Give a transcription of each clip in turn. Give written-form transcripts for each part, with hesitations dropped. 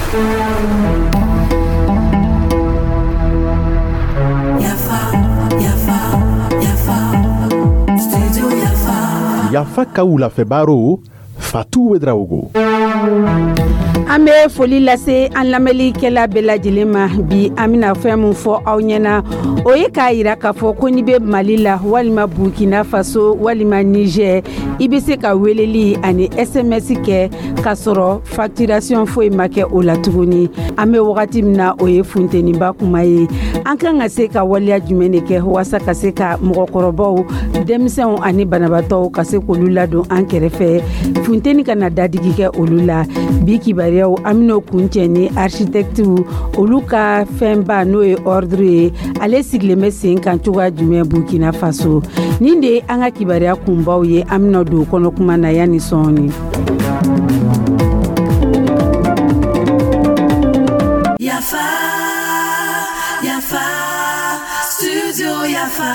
Yafa, yafa, yafa, studio Yafa. Yafa ka wulafɛ baro, Fatu Ouedraogo. An bɛ foli lase an lamɛnlikɛla bɛɛ lajɛlen ma. Bi, an bɛna fɛn min fɔ aw ɲɛna, o ye k'a yira k'a fɔ ko n'i bɛ Mali la walima Burkina Faso walima Niger, i bɛ se ka weleli ani SMS kɛ k'a sɔrɔ facturation foyi ma kɛ o la tuguni. An bɛ wagati min na, o ye funteniba kuma ye. An kan ka se ka waleya jumɛn de kɛ walasa ka se ka mɔgɔkɔrɔbaw, denmisɛnw ani banabaatɔw, ka se k'olu ladon an kɛrɛfɛ, funteni kana dadigi kɛ olu la? Bi kibaruyaw, an bɛn'o kuncɛ ni architectes olu ka fɛnba, n'o ye ordre ye, ale sigilen bɛ sen kan cogoya jumɛn Burkina Faso? Nin de ye an ka kibaruya kunbaw ye. An bɛna don kɔnɔ kuma na yanni sɔɔni. Yafa, yafa, studio Yafa.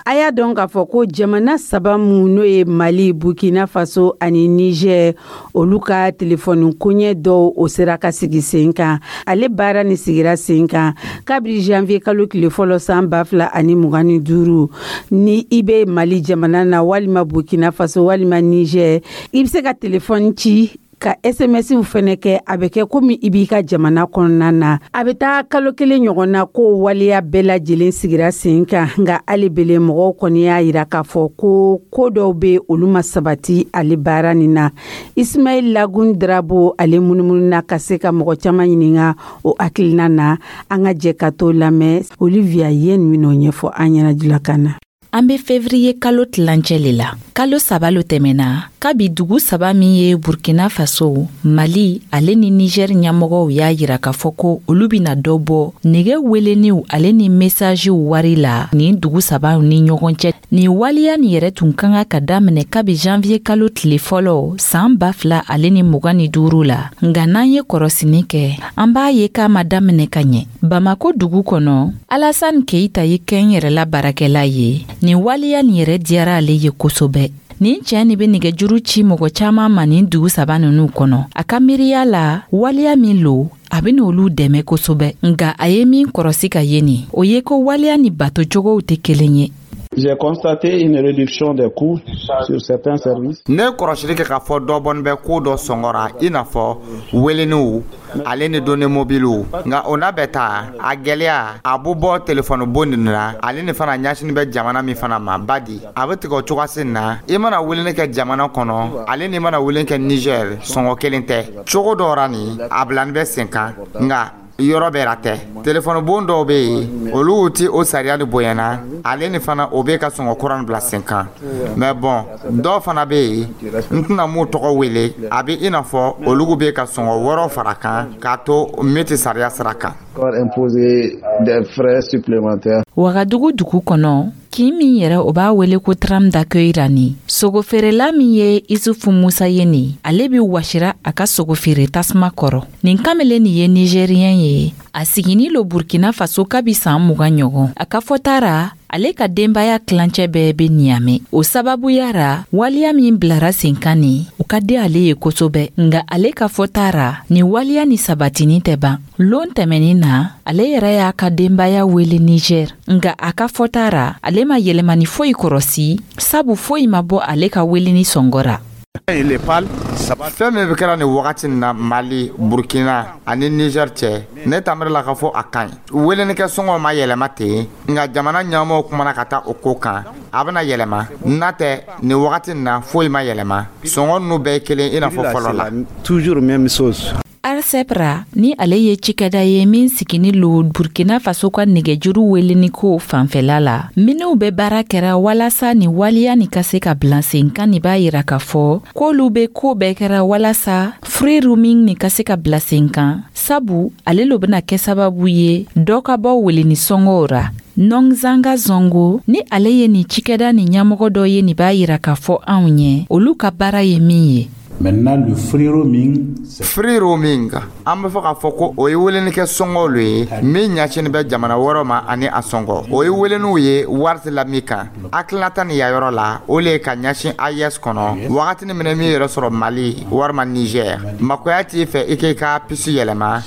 A y'a dɔn k'a fɔ ko jamana saba mun, n'o ye Mali, Burkina Faso ani Niger, olu ka telefɔni koɲɛ dɔw, o sera ka sigi sen kan. Ale baara ni sigira sen kan kabiri janvier kalo tile fɔlɔ san 2025. Ni i bɛ Mali jamana na walima Burkina Faso walima Niger, i bɛ se ka telefɔni ci ka SMS fɛnɛ kɛ, a bɛ kɛ komi i b'i ka jamana kɔnɔna na. A bɛ taa kalo 1 ɲɔgɔn na ko waleya bɛɛ lajɛlen sigira sen kan, nka hali bele mɔgɔw kɔni y'a yira k'a fɔ ko ko dɔw bɛ, olu ma sabati ale baara nin na. Ismail Lagun Drabo, ale munumunu na ka se ka mɔgɔ caman ɲininka o hakilina na. An ka jɛ ka to lamɛn. Olivia ye nin min'o ɲɛfɔ an ɲɛna julakan na. An be fevriye kalo tilancɛ le la. Kalo 3 lo tɛmɛna kabi dugu saba min ye Burkina Faso, Mali ale ni Niger ɲɛmɔgɔw y'a yira k'a fɔ ko olu bena dɔ bɔ nɛgɛ weleniw ale ni mesajiw wari la nin dugu sabaw ni ɲɔgɔn cɛ. Nin waleya nin yɛrɛ tun ka kan ka daminɛ kabi janvier kalo tile fɔlɔ saan 2025 la, nga n'an ye kɔrɔsini kɛ, an b'a ye k'a ma daminɛ ka ɲɛ. Bamako dugu kɔnɔ, Alasan Keita ye kɛn yɛrɛla baarakɛla ye. Nin waleya nin yɛrɛ diyara ale ye kosɛbɛ. Nin cɛɛ nin be nɛgɛjuru ci mɔgɔ caaman ma nin dugu saba nunu kɔnɔ. A ka miiriya la, waleya min lo, a bena olu dɛmɛ kosɛbɛ, nga a ye min kɔrɔsi ka ye nin, o ye ko waleya ni batocogow tɛ kelen ye. J'ai constaté une réduction des coûts sur certains services. Ne kɔrɔsili kɛ k'a fɔ dɔ bɔnin bɛ ko dɔ sɔngɔ ra, i n'a fɔ weleniw ale ni données mobilew. Nka o n'a bɛɛ ta, a gwɛlɛya a bɛ bɔ telefɔni bon nin na, ale ni fana ɲɛsini bɛ jamana min fana ma badi, a bɛ tigɛ o cogoya na. I mana weleni kɛ jamana kɔnɔ ale ni mana weleni kɛ Niger, sɔngɔ kelen tɛ. Cogo dɔ ra nin, a bilani bɛ sen kan, nka yɔrɔ bɛɛ la tɛ. Telefɔni bon dɔw bɛ yen, olu ti o sariya ni bonyana, ale ni fana o bɛ ka sɔngɔ kura bila sen kan. Mais bon, dɔw fana bɛ yen, n tɛna m'u tɔgɔ wele, a bɛ i n'a fɔ olu bɛ ka sɔngɔ wɛrɛw fara kan k'a to min tɛ sariya sira kan. Imposer des frais supplémentaires. Wagadugu dugu kɔnɔ, kin min yɛrɛ o b'a wele ko tram d'accueil ra ni, sogofeerela min ye Isufu Musa ye nin, ale be wasira a ka sogofeere tasuma kɔrɔ. Nin kamalen nin ye Nigérien ye, a sigini lo Burkina Faso kabi saan 20 ɲɔgɔn. A ka fɔta ra, ale ka denbaya tilancɛ bɛɛ be Niyamɛ. O sababuya ra, waleya min bilara sen kan nin, o ka di ale ye kosɛbɛ, nga ale ka fɔta ra, nin waleya ni sabatini tɛ ban. Lon tɛmɛnin na, ale yɛrɛ y'a ka denbaya wele Niger, nga a ka fɔta ra, ale ma yɛlɛmani foyi kɔrɔsi, sabu foyi ma bɔ ale ka weleni sɔngɔ ra. Fɛn min bɛ kɛra nin wagati na Mali, Burkina ani Niger cɛ, ne tamiri la k'a fɔ a ka ɲi. Welenikɛ sɔngɔ ma yɛlɛma ten, nka jamana ɲɛmɔgɔw kumana ka taa o ko kan, a bɛna yɛlɛma. N'a tɛ, nin wagati na foyi ma yɛlɛma, sɔngɔ ninnu bɛɛ ye kelen i n'a fɔ fɔlɔ la. Toujours même chose. Arcep ra ni, ale ye cikɛda ye min sigini lo Burkina Faso ka nɛgɛjuru weleniko fanfɛla la, minw bɛ baara kɛra walasa ni waleya ni ka se ka bila sen kan nin, b'a yira k'a fɔ k'olu be koo bɛɛ kɛra walasa free roaming ni ka se ka bila sen kan, sabu ale lo bena kɛ sababu ye dɔ ka bɔ weleni sɔngɔw ra. Nɔnzanga Zongo ni, ale ye nin cikɛda ni ɲɛmɔgɔ dɔ ye nin, b'a yira k'a fɔ anw ɲɛ olu ka baara ye min ye. Maintenant, le free roaming, c'est Free roaming, an bɛ fɔ k'a fɔ ko o ye welenikɛ sɔngɔw lo ye min ɲɛsinin bɛ jamana wɛrɛw ma ani a sɔngɔ. O ye weleniw ye wari tɛ la min kan. Hakilinata nin ya yɔrɔ la, o le ye ka ɲɛsin AES kɔnɔ wagatini min na min yɛrɛ sɔrɔ Mali walima Niger, makoya t'i fɛ i k'i ka puce yɛlɛma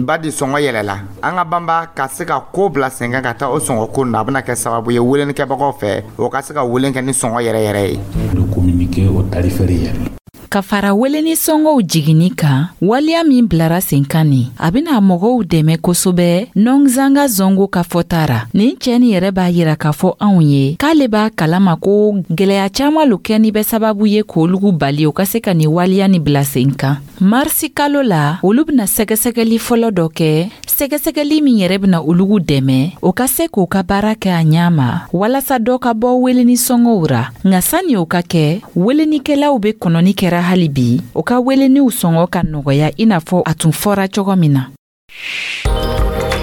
badi sɔngɔ yɛlɛla. An ka banba ka se ka ko bila sen kan ka taa o sɔngɔ ko na, a bɛna kɛ sababu ye welenikɛbagaw fɛ, o ka se ka welen kɛ ni sɔngɔ yɛrɛ yɛrɛ ye. de communiquer au tarif réel. Ka fara weleni sɔngɔw jiginni kan, waleya min bilara sen kan nin, a bena mɔgɔw dɛmɛ kosɛbɛ. Nɔnzanga Zongo ka fɔta ra, nin cɛɛ nin yɛrɛ b'a yira k'a fɔ anw ye k'ale b'a kalama ko gwɛlɛya caaman lo kɛ ni bɛ sababu ye k'olugu bali o ka se ka nin waleya ni bila sen kan. Marisi kalo la, olu bena sɛgɛsɛgɛli fɔlɔ dɔ kɛ, sɛgɛsɛgɛli min yɛrɛ bena olugu dɛmɛ o ka se k'o ka baara kɛ a ɲa ma walasa dɔ ka bɔ weleni sɔngɔw ra. Nka sanni o ka kɛ, welenikɛlaw be kɔnɔni kɛra hali bi o ka weleniw sɔngɔ ka nɔgɔya, i n'a fɔ a tun fɔra cogo min na.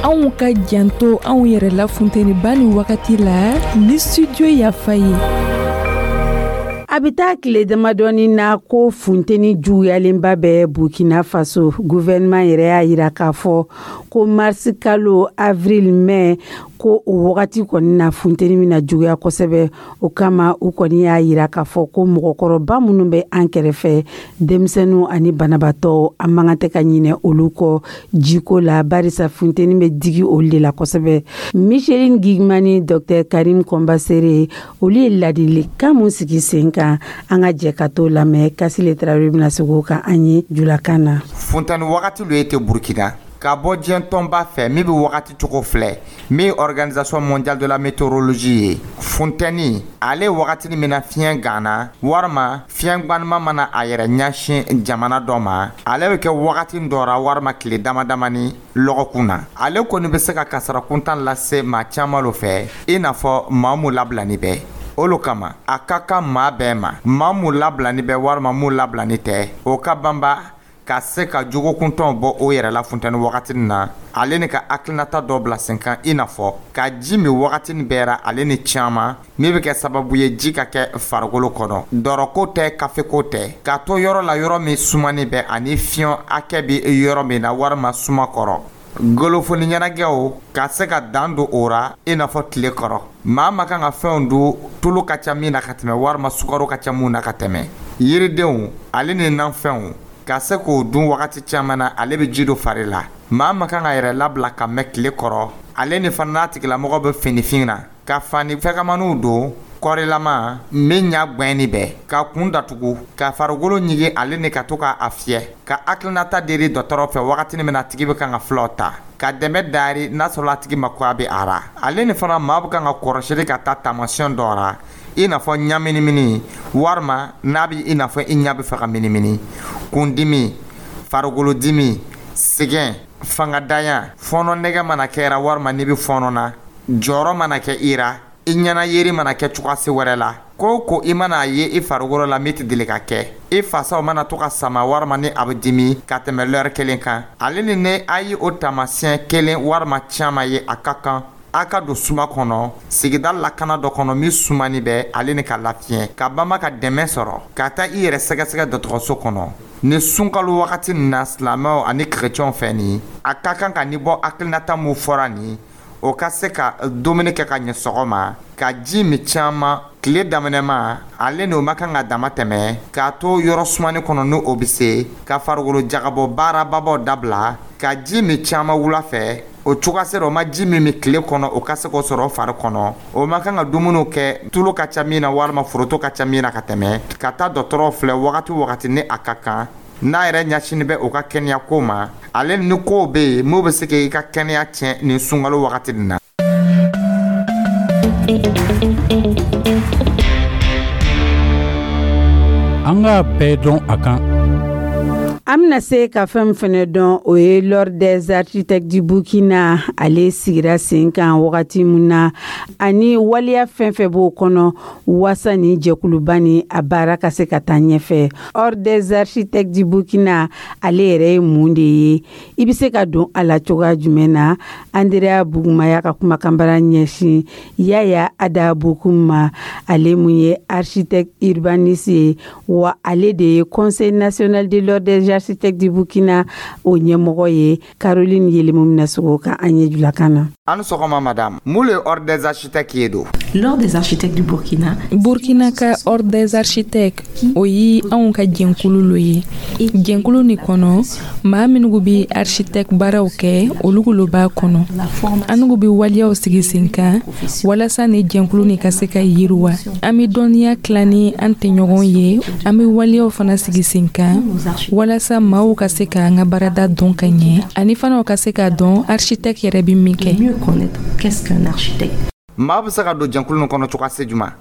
Anw ka janto anw yɛrɛ la funteniba ni wagati la ni Studio Yafa ye. A bɛ taa tile damadɔni na ko funteni juguyalenba bɛ Burkina Faso. Gouvernement yɛrɛ y'a yira k'a fɔ ko marisi kalo, avril, mai, ko o wagati kɔni na, funteni bɛna juguya kosɛbɛ. O kama, u kɔni y'a yira k'a fɔ ko mɔgɔkɔrɔba minnu bɛ an kɛrɛfɛ, denmisɛnninw ani banabaatɔ, an man kan tɛ ka ɲinɛ olu kɔ jiko la, barisa funteni bɛ digi olu de la kosɛbɛ. Micheline Gigmani, Dr Karim Kɔnbasere, olu ye ladilikan mun sigi sen kan, an ka jɛ ka t'o lamɛn. Kasile Tarawele bɛna segin o kan an ye julakan na. Funteni wagati lo ye tɛ Burkina, ka bɔ diɲɛ tɔnba fɛ min bɛ wagati cogo filɛ, min ye Organisation mondiale de la météorologie ye, funtɛni ale wagatini min na fiɲɛ ganna walima fiɲɛ gbanima mana a yɛrɛ ɲɛsin jamana dɔ ma, ale bɛ kɛ wagati dɔ ra walima tile dama damani lɔgɔkun na. Ale kɔni bɛ se ka kasara kuntan lase maa caman lo fɛ, i n'a fɔ maa mun labilani bɛ. Olu kama, a ka kan maa bɛɛ ma, maa mun labilani bɛ walima mun labilani tɛ, o ka banba ka se ka jogokuntɔnw bɔ o yɛrɛ la funtɛni wagati na, ale ni ka hakilinata dɔ bila sen kan, i n'a fɔ ka ji min wagatini bɛɛ ra, ale ni caman min bɛ kɛ sababu ye ji ka kɛ farikolo kɔnɔ, dɔrɔko tɛ, kafeko tɛ, ka to yɔrɔ la yɔrɔ min sumani bɛ ani fiɲɛ hakɛ bɛ yɔrɔ min na walima suma kɔrɔ. Golofoni ɲɛnajɛw, ka se ka dan don o ra, i n'a fɔ tile kɔrɔ maa ma kan ka fɛnw dun tulu ka ca min na ka tɛmɛ walima sukaro ka ca mun na ka tɛmɛ, yiridenw ale ni nafɛnw, ka se k'o dun wagati caman na, ale bɛ ji don fari la. Maa ma kan ka yɛrɛ labila ka mɛn tile kɔrɔ, ale ni fana n'a tigilamɔgɔ bɛ finifin na, ka fani fɛgɛmaniw don kɔrilama min ɲa gwɛnni bɛɛ, ka kun datugu, ka farikolo ɲigi, ale ni ka to ka a fiyɛ, ka hakilinata deri dɔgɔtɔrɔ fɛ wagatini min na a tigi bɛ kan ka fulaw ta, ka dɛmɛ dari n'a sɔrɔ a tigi mako a bɛ a ra. Ale ni fana maa bɛ kan ka kɔrɔsili ka taa taamasiyɛn dɔ ra, i n'a fɔ ɲaminimini walima n'a bɛ i n'a fɔ i ɲɛ bɛ fɛ ka minimini, kundimi, farikolodimi, sɛgɛn, fangadanya, fɔɔnɔ nɛgɛ mana kɛra walima n'i bɛ fɔɔnɔ na, jɔyɔrɔ mana kɛ i ra, i ɲɛna yeri mana kɛ cogoya wɛrɛ la, ko o ko i mana a ye i farikolo la min tɛ deli ka kɛ, i fasaw mana to ka sama walima ni a bɛ dimi ka tɛmɛ lɛri kelen kan, ale ni ne a ye o taamasiyɛn kelen walima caman ye, a ka kan a ka don suma kɔnɔ, sigida lakana dɔ kɔnɔ min sumani bɛ, ale ni ka lafiɲɛ, ka banba ka dɛmɛ sɔrɔ, ka taa i yɛrɛ sɛgɛsɛgɛ dɔgɔtɔrɔso kɔnɔ. Ni sunkalo wagati nin na, silamɛw ani kerecɛnw fɛ nin, a ka kan ka ni bɔ hakilinata mun fɔra nin, o ka se ka dumuni kɛ ka ɲɛ sɔgɔma, ka ji min caman tile daminɛma, ale n'o ma kan ka dama tɛmɛ, k'a to yɔrɔ sumani kɔnɔ ni o bɛ se, ka farikolo jagabɔ baarababaw dabila, ka ji min caman wula fɛ. O cogoya sera o ma ji min min tile kɔnɔ, o ka se k'o sɔrɔ fari kɔnɔ. O ma kan ka dumuniw kɛ tulu ka ca min na walima foroto ka ca min na ka tɛmɛ, ka taa dɔgɔtɔrɔw filɛ wagati o wagati ni a ka kan, n'a yɛrɛ ɲɛsinin bɛ o ka kɛnɛya ko ma, ale ni kow bɛ yen mun bɛ se k'i ka kɛnɛya tiɲɛ nin sunkalo wagati nin na. An k'a bɛɛ dɔn a kan. An bɛna se ka fɛn min fɛnɛ dɔn, o ye l'Ordre des architectes du Burkina, ale sigira sen kan wagati min na, ani waleya fɛn fɛn b'o kɔnɔ waasa ni jɛkuluba ni a baara ka se ka taa ɲɛfɛ. Ordre des architectes du Burkina, ale yɛrɛ ye mun de ye? I bɛ se ka don a la cogoya jumɛn na? Andrea Bugumaya ka kumakanbara ɲɛsin Yaya Ada Bokum ma, ale mun ye architecte urbaniste ye, wa ale de ye Conseil national de l'Ordre des architectes du Burkina o ɲɛmɔgɔ ye. Caroline Yelemu bɛna sɔgɔ ka an ɲɛ julakan na. An sɔgɔma madame, mun le Ordre des architectes ye don? L'Ordre des architectes du Burkina. Burkina ka Ordre des architectes, o ye anw ka jɛnkulu lo ye. Jɛnkulu nin kɔnɔ, maa minnu bɛ architecte baaraw kɛ, olu lo b'a kɔnɔ. Anugu bɛ waleyaw sigi sen kan walasa ni jɛnkulu nin ka se ka yiriwa. An bɛ dɔnniya tila ni an tɛɲɔgɔn ye. An bɛ waleyaw fana sigi sen kan walasa maaw ka se k'an ka baarada dɔn ka ɲɛ, ani fana u ka se k'a dɔn architecte yɛrɛ bɛ min kɛ. Mieux connaître qu'est-ce qu'un architecte. Maa bɛ se ka don jɛnkulu nin kɔnɔ cogoya se jumɛn?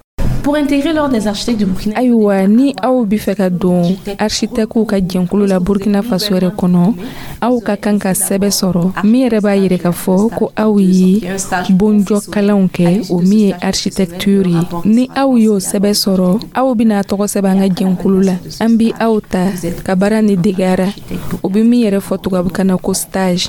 Pour intégrer l'Ordre des architectes du Burkina, Ayiwa, ni aw bɛ fɛ ka don architectew ka jɛnkulu la Burkina Faso yɛrɛ kɔnɔ, aw ka kan ka sɛbɛ sɔrɔ min yɛrɛ b'a yɛrɛ k'a fɔ ko aw ye bonjɔ kalanw kɛ, o min ye architecture ye. Ni aw y'o sɛbɛ sɔrɔ, aw bɛna tɔgɔ sɛbɛn an ka jɛnkulu la. An bi aw ta ka baara ni degara, o bɛ min yɛrɛ fɔ tubabukan na ko stage.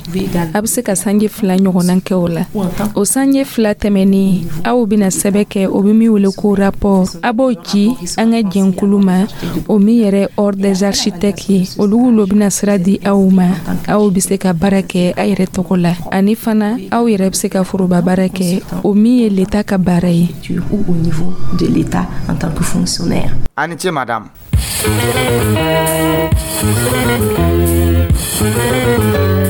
A bɛ se ka sanji 2 ɲɔgɔnna kɛ o la. O sanji 2 tɛmɛnen, aw bɛna sɛbɛ kɛ, o bɛ min wele ko rapport. A b'o ci an ka jɛnkulu ma, o min yɛrɛ Ordre des architectes ye. Olu lo bɛna sira di aw ma, aw bɛ se ka baara kɛ a yɛrɛ tɔgɔ la, ani fana aw yɛrɛ bɛ se ka foroba baara kɛ, o min ye l'État ka baara ye. ou au niveau de l'État en tant que fonctionnaire. A ni ce madame.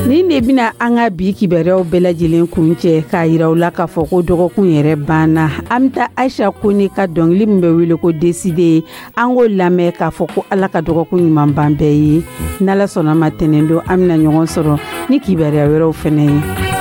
Nin de bɛna an ka bi kibaruyaw bɛɛ lajɛlen kun cɛ, k'a yira u la k'a fɔ ko dɔgɔkun yɛrɛ banna. An bɛ taa Aisha Kone ka dɔnkili min bɛ wele ko Décidé, an k'o lamɛn k'a fɔ ko Ala ka dɔgɔkun ɲuman ban bɛɛ ye. N'Ala sɔnna ma, tɛnɛn don an bɛna ɲɔgɔn sɔrɔ ni kibaruya wɛrɛw fɛnɛ ye.